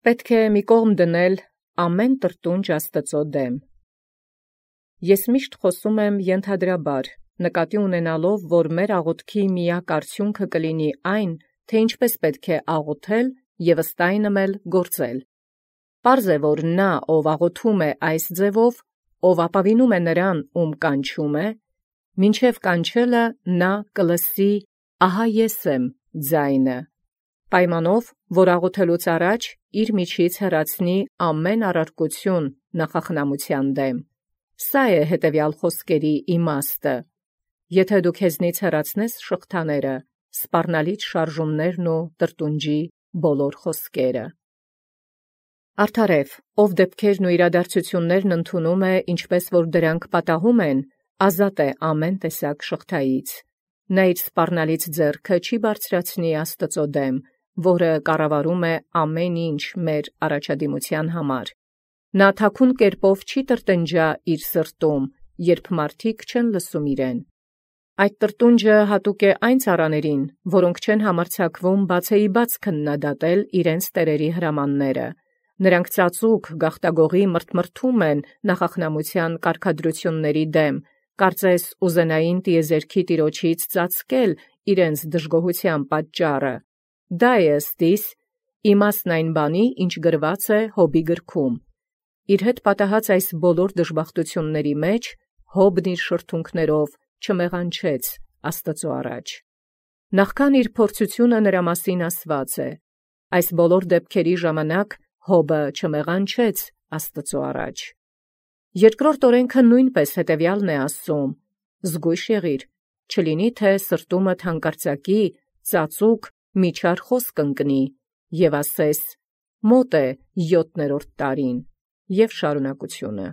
Պետք է մի կողմ դնել ամեն տրտունջ Աստուծո դեմ։ Ես միշտ խոսում եմ ենթադրաբար, նկատի ունենալով, որ մեր աղոթքի միակ արդյունքը կլինի այն, թե ինչպես պետք է աղոթել և ըստ այնմ էլ գործել։ Պարզ է, որ նա, ով աղոթում է այս ձևով, ով ապավինում է նրան, ում կանչում է, մինչև կանչելը նա կլսի «Ահա ես եմ» ձայնը, պայմանով, որ աղոթելուց առաջ իր միջից հեռացնի ամեն առարկություն նախախնամության դեմ։ Սա է հետևյալ խոսքերի իմաստը. եթե դու քեզնից հեռացնես շղթաները, սպառնալից շարժումներն ու տրտունջի բոլոր խոսքերը։ Արդարև, ով դեպքերն ու իրադարձություններն ընդունում է, ինչպես որ դրանք պատահում են, ազատ է ամեն տեսակ շղթայից։ Նա իր սպառնալից ձեռքը չի բարձրացնի Աստծո դեմ, որը կառավարում է ամեն ինչ մեր առաջադիմության համար։ Նա թաքուն կերպով չի տրտնջա իր սրտում, երբ մարդիկ չեն լսում իրեն։ Այդ տրտունջը հատուկ է այն ծառաներին, որոնք չեն համարձակվում բացեիբաց քննադատել իրենց տերերի հրամանները։ Նրանք ծածուկ գաղտագողի մրթմրթում են նախախնամության կարգադրությունների դեմ, կարծես ուզենային տիեզերքի տիրոջից ծածկել իրենց դժգոհության պատճառը։ Դա է ըստ իս իմաստն այն բանի, ինչ գրված է Հոբի գրքում։ Իր հետ պատահած այս բոլոր դժբախտությունների մեջ Հոբն իր շրթունքներով չմեղանչեց Աստծո առաջ։ Նախքան իր փորձությունը նրա մասին ասված է։ Այս բոլոր դեպքերի ժամանակ Հոբը չմեղանչեց Աստծո առաջ։ Երկրորդ օրենքը նույնպես հետևյալն է ասում. զգույշ եղիր, չլինի թե սրտումդ հանկարծակի ծածուկ միջար խոսք ընկնի, և ասես. մոտ է 7-րդ տարին, և շարունակությունը։